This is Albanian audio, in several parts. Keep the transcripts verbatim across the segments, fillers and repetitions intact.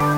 Përshëndetje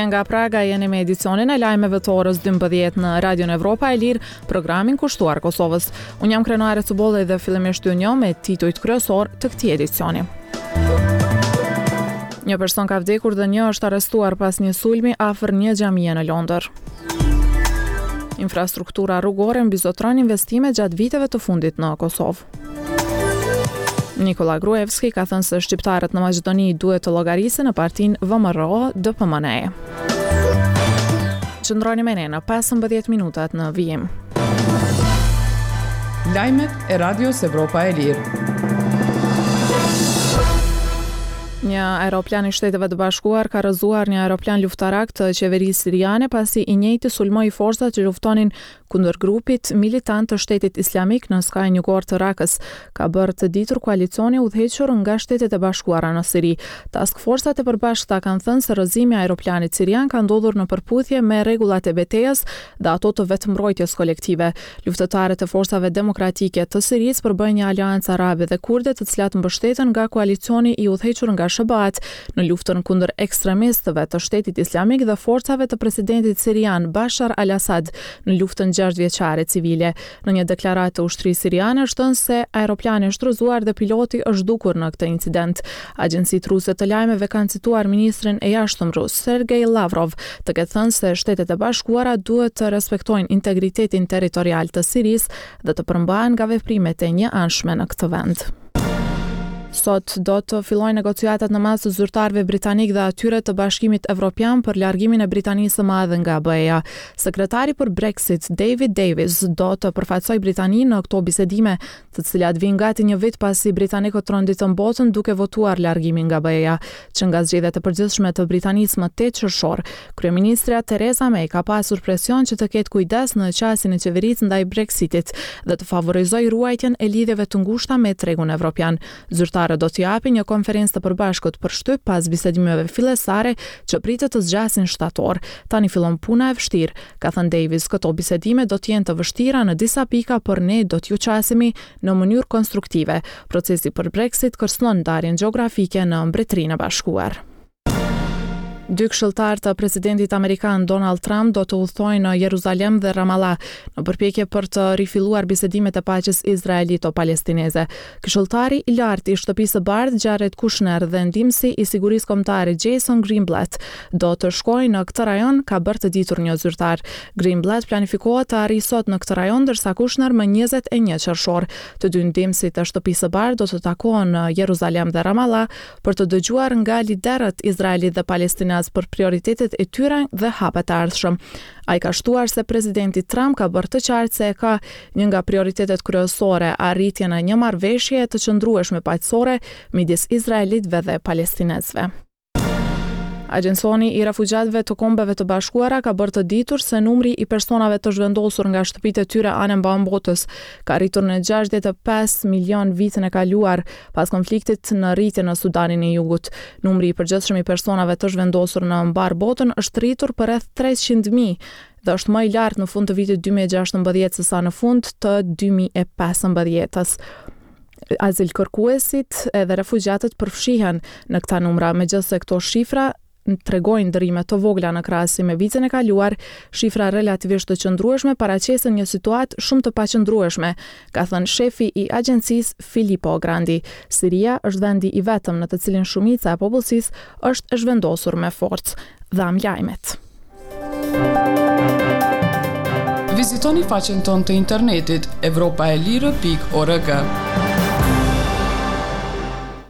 nga Praga, jeni me edicionin e lajmeve të orës dymbëdhjetë në Radion Evropa e Lirë, programin kushtuar Kosovës. Unë jam Krenare Cubolli dhe fillimisht ju njoh me titujt kryesor të këtij edicioni. Një person ka vdekur dhe një është arrestuar pas një sulmi afër një xhamie në Londër. Infrastruktura rrugore mbizotron investime gjatë viteve të fundit në Kosovë. Nikola Gruevski ka thënë se shqiptarët në Maqedoni duhet të llogarisin në partinë V M R O D P M N E. Qëndroni me ne në pesëmbëdhjetë minutat në vijim. Lajmet e Radios Evropa e Lirë. Një aeroplan i Shteteve të Bashkuar ka rrëzuar një aeroplan luftarak të qeverisë siriane pasi i njëjti sulmoi forcat që luftonin kundër grupit militant të Shtetit Islamik në skajin jugor të Rakës, ka bërë të ditur koalicioni udhëhequr nga Shtetet e Bashkuara në Siri. Task forcat e përbashkëta kanë thënë se rrëzimi i aeroplanit sirian ka ndodhur në përputhje me rregullat e betejës dhe ato të vetëmbrojtjes kolektive. Luftëtarët e forcave demokratike të Sirisë përbëjnë një aleancë arabe dhe kurde, të cilat mbështeten nga koalicioni i udhëhequr nga S H B A-t në luftën kundër ekstremistëve të Shtetit Islamik dhe forcave të presidentit sirian Bashar al-Assad në luftën gjashtë vjeçare civile. Në një deklaratë të ushtrisë siriane është thënë se aeroplani është rrëzuar dhe piloti është zhdukur në këtë incident. Agjencitë ruse të lajmeve kanë cituar ministrin e jashtëm rus Sergej Lavrov të ketë thënë se Shtetet e Bashkuara duhet të respektojnë integritetin territorial të Sirisë dhe të përmbahen nga veprimet e njëanshme në këtë vend. Sot do të fillojnë negociatat në mes të zyrtarëve britanik dhe atyre të Bashkimit Evropian për largimin e Britanisë së Madhe nga B E-ja. Sekretari për Brexit, David Davis, do të përfaqësojë Britaninë në këto bisedime, të cilat vijnë gati një vit pasi britanikët tronditën botën duke votuar largimin nga B E-ja. Që nga zgjedhjet e përgjithshme të Britanisë më tetë qershor, kryeministrja Theresa May ka pasur presion që të ketë kujdes në qasjen e qeverisë ndaj Brexitit dhe të favorizojë ruajtjen e lidhjeve të ngushta me tregun evropian. Zyrtarët do të japin një konferencë të përbashkët për shtyp pas bisedimeve fillestare që pritet të zgjasin shtator. Tani fillon puna e vështirë, ka thënë Davis. Këto bisedime do të jenë të vështira në disa pika, por ne do t'ju qasemi në mënyrë konstruktive. Procesi për Brexit kërcënon ndarjen gjeografike në Mbretërinë e Bashkuar. Dy këshilltarë të presidentit amerikan Donald Trump do të udhtojnë në Jeruzalem dhe Ramallah në përpjekje për të rifilluar bisedimet e paqes izraelito-palestineze. Këshilltari i lartë i Shtëpisë së Bardhë Jared Kushner dhe ndihmësi i sigurisë kombëtare Jason Greenblatt do të shkojnë në këtë rajon, ka bërë të ditur një zyrtar. Greenblatt planifikohet të arrijë sot në këtë rajon, ndërsa Kushner më njëzet e një qershor. Të dy ndihmësit e Shtëpisë së Bardhë do të takohen në Jeruzalem dhe Ramallah për të dëgjuar nga liderët izraelit dhe palestinez për prioritetet e tyre dhe hapat e ardhshëm. Ai ka shtuar se presidenti Trump ka bërë të qartë se e ka një nga prioritetet kryesore arritjen e një marrëveshjeje të qëndrueshme paqësore midis izraelitëve dhe palestinezëve. Agjencioni i Refugjatëve të Kombeve të Bashkuara ka bërë të ditur se numri i personave të zhvendosur nga shtëpitë e tyre anembanë botës ka rritur në gjashtëdhjetë e pesë milion vitin e kaluar pas konfliktit në rritje në Sudanin e Jugut. Numri i përgjithshëm i personave të zhvendosur në mbar botën është rritur për rreth treqind mijë dhe është më i lartë në fund të vitit dy mijë e gjashtëmbëdhjetë se sa në fund të dy mijë e pesëmbëdhjetës. Azilkërkuesit edhe refugjatët përfshihen në këta numra, megjithëse këto shifra tregojnë ndërrime të vogla në krahasim me vitin e kaluar, shifra relativisht të qëndrueshme paraqesin një situatë shumë të paqëndrueshme, ka thënë shefi i agjencisë Filippo Grandi. Siria është vendi i vetëm në të cilin shumica e popullsisë është e zhvendosur me forcë. Dham lajmet. Vizitoni faqen tonë të internetit evropa e lirë pikë org.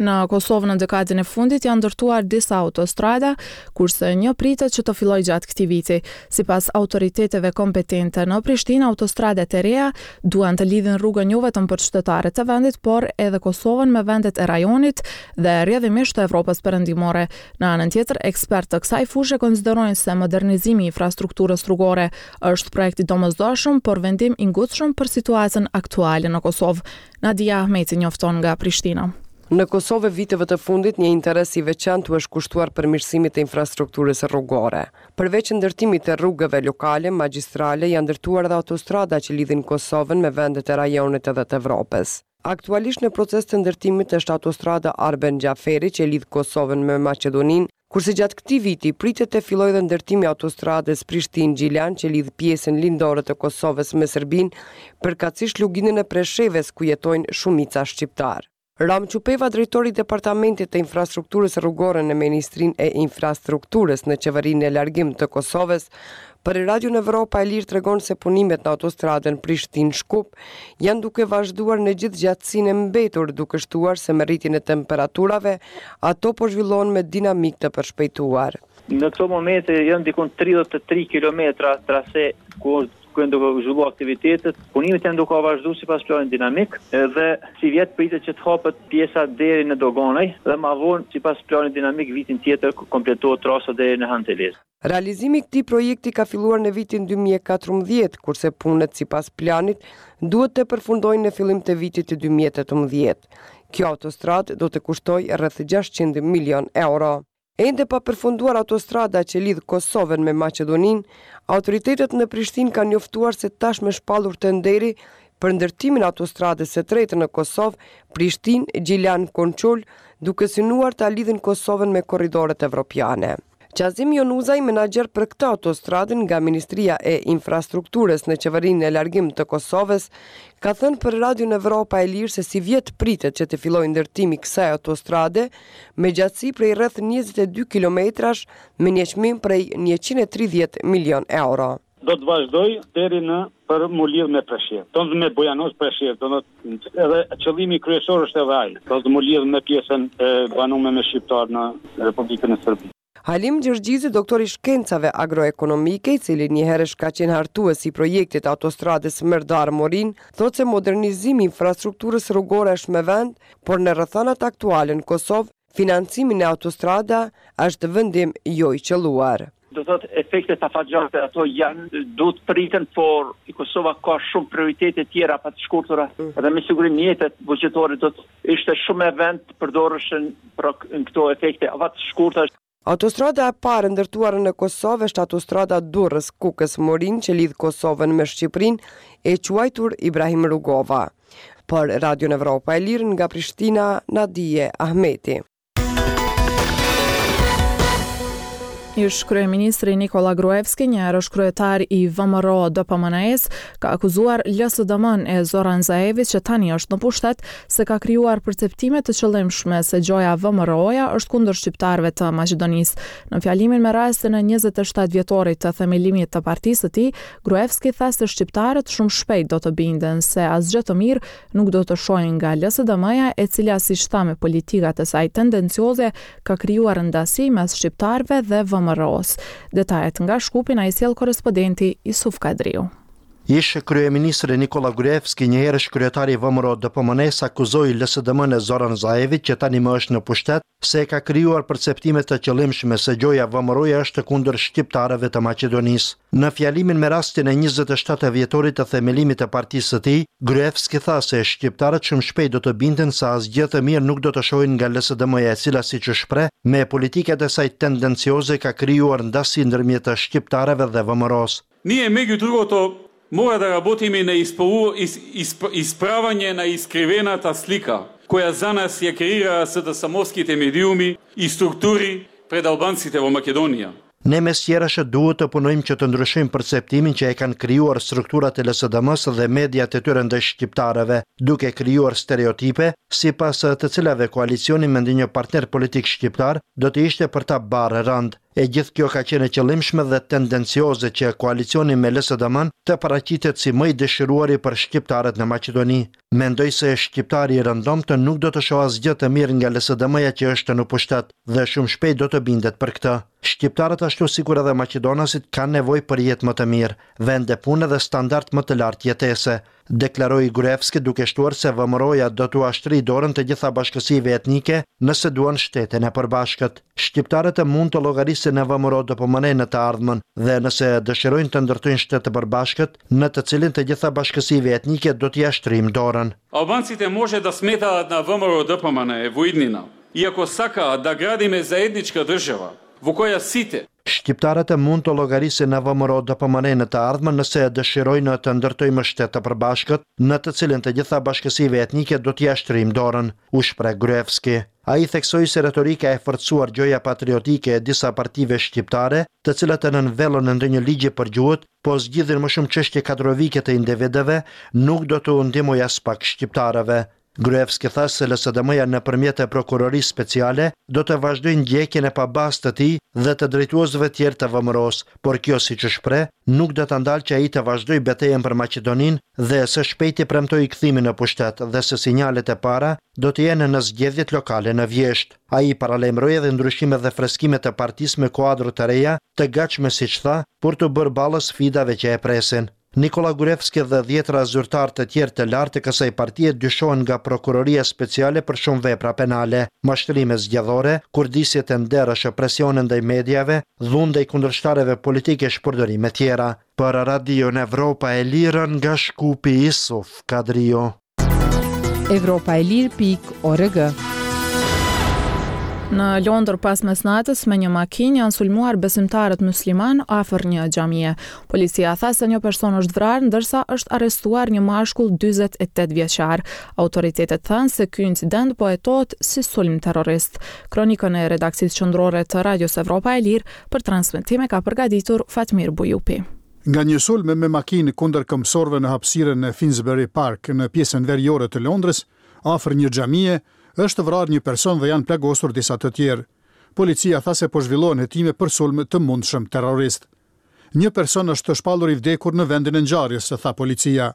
Në Kosovë në dekadën e fundit janë ndërtuar disa autostrada, kurse një pritet që të fillojë gjatë këtij viti. Sipas autoriteteve kompetente në Prishtinë, autostradet e reja duan të lidhin rrugën jo vetëm për qytetarët e vendit, por edhe Kosovën me vendet e rajonit dhe rrjedhimisht të Evropës Perëndimore. Në anën tjetër, ekspertë të kësaj fushe konsiderojnë se modernizimi i infrastrukturës rrugore është projekt i domosdoshëm, por vendim i ngutshëm për situatën aktuale në Kosovë. Nadia Ahmeti njofton nga Prishtina. Në Kosovë viteve të fundit një interes i veçantë u është kushtuar përmirësimit të infrastrukturës rrugore. Përveç ndërtimit të rrugëve lokale, magjistrale, janë ndërtuar edhe autostrada që lidhin Kosovën me vendet e rajonit edhe të Evropës. Aktualisht në proces të ndërtimit është autostrada Arben Xhaferi që lidh Kosovën me Maqedoninë, kurse gjatë këtij viti pritet të fillojë edhe ndërtimi i autostradës Prishtinë-Gjilan që lidh pjesën lindore të Kosovës me Serbinë, përkatësisht Luginën e Preshevës ku jetojnë shumica shqiptar. Ram Qupeva, drejtori i Departamentit të Infrastrukturës Rrugore në Ministrinë e Infrastrukturës në Qeverinë e Largim të Kosovës, për Radion Evropa e Lirë tregon se punimet në autostradën Prishtinë-Shkup janë duke vazhduar në gjithë gjatësinë e mbetur, duke shtuar se me rritjen e temperaturave ato po zhvillohen me dinamikë të përshpejtuar. Në këto momente janë dikun tridhjetë e tri kilometra trase ku është ku janë duke zhvilluar aktivitetet, punimet janë duke vazhduar sipas planit dinamik dhe si vjet pritet që të hapet pjesa deri në Doganaj dhe ma vonë sipas planit dinamik vitin tjetër kompletohet trasa deri në Hanteles. Realizimi i këtij projekti ka filluar në vitin dy mijë e katërmbëdhjetë, kurse punët sipas planit duhet të përfundojnë në fillim të vitit dy mijë e tetëmbëdhjetë. Kjo autostradë do të kushtojë rreth gjashtëqind milion euro. Ende pa përfunduar autostrada që lidh Kosovën me Maqedoninë, autoritetet në Prishtinë kanë njoftuar se tashmë shpallur tenderi për ndërtimin e autostradës së tretë në Kosovë, Prishtinë, Gjilan, Konçul, duke synuar ta lidhin Kosovën me korridoret evropiane. Qazim Jonuzaj, menaxher për këtë autostradë nga Ministria e Infrastrukturës në Qeverinë e Largim të Kosovës, ka thënë për Radion Evropa e Lirë se si vjet pritet që të fillojë ndërtimi i kësaj autostrade me gjatësi prej rreth njëzet e dy kilometrash me një çmim prej njëqind e tridhjetë milion euro. Do të vazhdoj deri në për mu lidh me Preshevë, do të me Bujanoc Preshevë, do të edhe qëllimi kryesor është edhe ai, do të mu lidh me pjesën e banume me shqiptar në Republikën e Serbisë. Halim Gjergjizi, doktor i shkencave agroekonomike, i cili njëherësh ka qenë hartues i projektit autostradës Merdar-Morin, thotë se modernizimi i infrastrukturës rrugore është me vend, por në rrethanat aktuale në Kosovë, financimi në autostrada është vendim jo i qëlluar. Do thotë efektet afatgjate ato janë, duhet priten, por Kosova ka shumë prioritete tjera pa të shkurtura mm. dhe me siguri mjetet buxhetore do të ishte shumë e vend të përdoreshin pra në këto efekte afat shkurtra. Autostrada e parë ndërtuar në Kosovë është autostrada Durrës-Kukës-Morin që lidh Kosovën me Shqipërinë, e quajtur Ibrahim Rugova. Për Radion Evropa e Lirë nga Prishtina, Nadie Ahmeti. Ish kryeministri Nikola Gruevski, njëherësh kryetar i V M R O D P M N E-s, ka akuzuar L S D M-n e Zoran Zaevit që tani është në pushtet se ka krijuar perceptime të qëllimshme se gjoja V M R O-ja është kundër shqiptarëve të Maqedonisë. Në fjalimin me rastin e njëzet e shtatë vjetorit të themelimit të partisë së tij, Gruevski tha se shqiptarët shumë shpejt do të binden se asgjë të mirë nuk do të shohin nga L S D M-ja, e cila siç tha me politikat e saj tendencioze ka krijuar ndasi mes shqiptarëve dhe V M R O-s. Detajet nga Shkupi na i sjell korrespondenti Isuf Kadriu. Ish kryeministri Nikola Gruevski, njëherësh kryetari i V M R O D P M N-s, akuzoi L S D M-n e Zoran Zaevit, që tani më është në pushtet, se ka krijuar perceptime të qëllimshme se gjoja V M R O-ja është kundër shqiptarëve të Maqedonisë. Në fjalimin me rastin e njëzet e shtatë vjetorit të themelimit të partisë së tij, Gruevski tha se shqiptarët shumë shpejt do të binden se asgjë të mirë nuk do të shohin nga L S D M-ja, e cila, siç u shpreh, me politikat e saj tendencioze ka krijuar ndasi ndërmjet shqiptarëve dhe V M R O-s. Ние меѓу другото мора да работиме на испору-, ис-, исп-, исправање на искривената слика која за нас ја креираа СДСМ-овските медиуми и структури пред албанците во Македонија. Ne mes tjerash duhet të punojmë që të ndryshojmë perceptimin që e kanë krijuar strukturat e L S D M-së dhe mediat e tyre ndaj shqiptarëve, duke krijuar stereotipe, sipas të cilave koalicioni me ndonjë partner politik shqiptar do të ishte për ta barrë rënd. E gjithë kjo ka qenë e qëllimshme dhe tendencioze që koalicioni me L S D M-n të paraqitet si më i dëshiruari për shqiptarët në Maqedoni. Mendoj se shqiptari i rëndomtë nuk do të shohë asgjë të mirë nga L S D M-ja që është në pushtet dhe shumë shpejt do të bindet për këtë. Shqiptarët ashtu sikur edhe maqedonasit kanë nevojë për jetë më të mirë, vende pune dhe standard më të lartë jetese. deklaroi Gruevski duke shtuar se V M R O-ja do t'ua shtrijë dorën të gjitha bashkësive etnike nëse duan shtetin e përbashkët. Shqiptarët mund të llogarisin në V M R O D P M N në të ardhmen dhe nëse dëshirojnë të ndërtojnë shtet të përbashkët, në të cilin të gjitha bashkësive etnike do t'ia shtrijmë dorën. Албанците може да сметаат на В М Р О Д П М Н Е во иднина, иако сакаат да градиме заедничка држава, во која сите Shqiptarët mund të llogarisin në V M R O D P M N në të ardhmen nëse dëshirojnë të ndërtojmë shtet të përbashkët, në të cilin të gjitha bashkësive etnike do t'ia shtrijmë dorën, u shpreh Gruevski. Ai theksoi se retorika e forcuar gjoja patriotike e disa partive shqiptare, të cilat nën vellon e ndonjë ligji për gjuhët, po zgjidhin më shumë çështje kadrovike të individëve, nuk do të ndihmojë as pak shqiptarëve. Gruevski tha se L S D M-ja nëpërmjet e prokurorisë speciale do të vazhdojë ndjekjen e pabazë të tij dhe të drejtuesve tjerë të V M R O-s, por kjo, siç u shpreh, nuk do ta ndalë që ai të vazhdojë betejën për Maqedoninë dhe së shpejti premtoi kthimin në pushtet dhe se sinjalet e para do të jenë në zgjedhjet lokale në vjeshtë. Ai paralajmëroi edhe ndryshimet dhe freskimet e partisë me kuadro të reja, të gatshme, siç tha, për të bërë ballë sfidave që e presin. Nikola Gruevski dhe dhjetra zyrtar të tjerë të lartë të kësaj partie dyshohen nga prokuroria speciale për shumë vepra penale, mashtrime zgjedhore, kurdisje tenderësh, presione ndaj mediave, dhunë ndaj kundërshtarëve politike, shpërdorime tjera. Për Radion Evropa e Lirë nga Shkupi, Isuf Kadrio. Evropa e lirë pikë org. Në Londër pas mesnatës me një makinë janë sulmuar besimtarët musliman afër një xhamie. Policia tha se një person është vrarë, ndërsa është arrestuar një mashkull dyzet e tetë vjeçar. Autoritetet thanë se ky incident po hetohet si sulm terrorist. Kronikën e redaksisë qendrore të Radios Evropa e Lirë për transmetime ka përgatitur Fatmir Bujupi. Nga një sulm me makinë kundër këmbësorëve në hapësirën e Finsbury Park në pjesën veriore të Londrës, afër një xhamie, është vrarë një person dhe janë plagosur disa të tjerë. Policia tha se po zhvillohen hetime për sulm të mundshëm terrorist. Një person është shpallur i vdekur në vendin e ngjarjes, tha policia.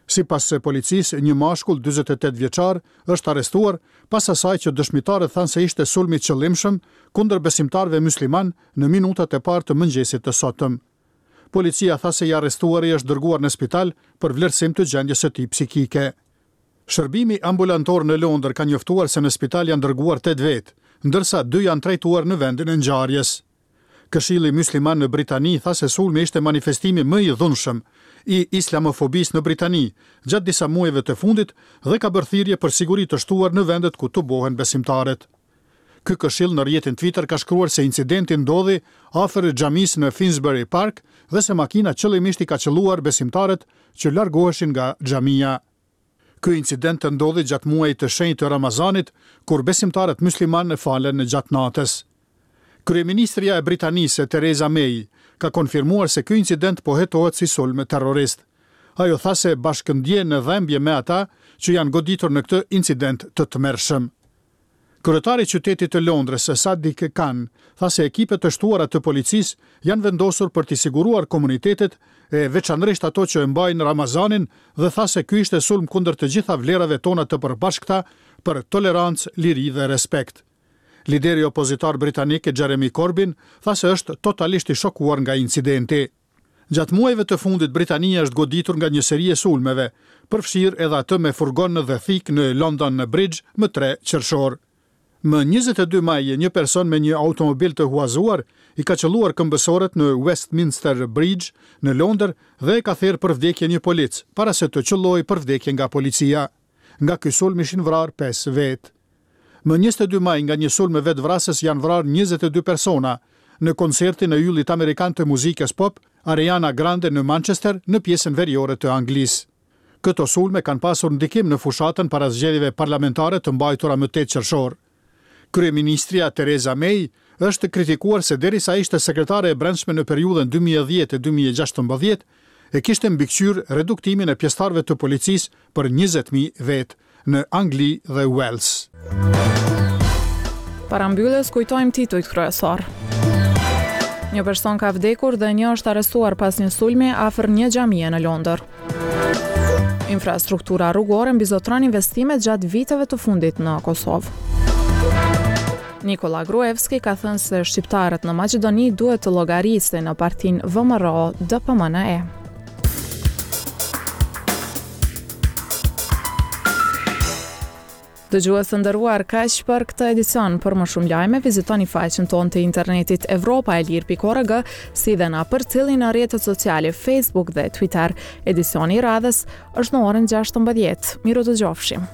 Sipas policisë, një mashkull dyzet e tetë vjeçar është arrestuar pas asaj që dëshmitarët thanë se ishte sulm i qëllimshëm kundër besimtarëve musliman në minutat e parë të mëngjesit të sotëm. Policia tha se i arrestuari është dërguar në spital për vlerësim të gjendjes së tij psikike. Shërbimi ambulantor në Londër ka njoftuar se në spital janë dërguar tetë vetë, ndërsa dy janë trajtuar në vendin e ngjarjes. Këshilli Musliman në Britani tha se sulmi ishte manifestimi më i dhunshëm i islamofobisë në Britani gjatë disa muajve të fundit dhe ka bërë thirrje për siguri të shtuar në vendet ku tubohen besimtarët. Ky këshill në rrjetin Twitter ka shkruar se incidenti ndodhi afër xhamisë në Finsbury Park dhe se makina qëllimisht i ka qëlluar besimtarët që largoheshin nga xhamia. Ky incident ndodhi gjatë muajit të shenjtë të Ramazanit, kur besimtarët muslimanë falen gjatë natës. Kryeministrja e Britanisë, Theresa May, ka konfirmuar se ky incident po hetohet si sulm terrorist. Ajo tha se bashkëndjen në dhembje me ata që janë goditur në këtë incident të tmerrshëm. Kryetari i qytetit të Londrës, Sadiq Khan, tha se ekipet të shtuara të policisë janë vendosur për t'i siguruar komunitetet, e veçanërisht ato që e mbajnë Ramazanin, dhe tha se ky ishte sulm kundër të gjitha vlerave tona të përbashkëta për tolerancë, liri dhe respekt. Lideri opozitar britanik Jeremy Corbyn tha se është totalisht i shokuar nga incidenti. Gjatë muajve të fundit Britania është goditur nga një seri e sulmeve, përfshirë edhe atë me furgon dhe thikë në London Bridge më tre qershor. Më njëzet e dy maj, një person me një automobil të huazuar i ka qëlluar këmbësorët në Westminster Bridge në Londër dhe e ka therë për vdekje një polic, para se të qëllojë për vdekje nga policia. Nga ky sulm ishin vrarë pesë vetë. Më njëzet e dy maj nga një sulm me vetëvrasës janë vrarë njëzet e dy persona në koncertin e yllit amerikan të muzikës pop Ariana Grande në Manchester, në pjesën veriore të Anglisë. Këto sulme kanë pasur ndikim në fushatën para zgjedhjeve parlamentare të mbajtura më tetë qershor. Kryeministrja Theresa May është kritikuar se derisa ishte sekretare e brendshme në periudhën dy mijë e dhjetë dy mijë e gjashtëmbëdhjetë, e kishte mbikëqyr reduktimin e pjesëtarëve të policisë për njëzet mijë vetë në Angli dhe Wales. Para mbylljes kujtojmë titujt kryesor. Një person ka vdekur dhe një është arrestuar pas një sulmi afër një xhamie në Londër. Infrastruktura rrugore mbizotron investimet gjatë viteve të fundit në Kosovë. Nikola Gruevski ka thënë se shqiptarët në Maqedoni duhet të llogarisin në partinë V M R O D P M N E. Dëgjues të nderuar, kaq për këtë edicion. Për më shumë lajme, vizitoni faqen tonë të internetit evropaelire pikë org, si dhe na përcillni në rrjetet sociale Facebook dhe Twitter. Edicioni i radhës është në orën gjashtëmbëdhjetë. Mirudëgjofshim.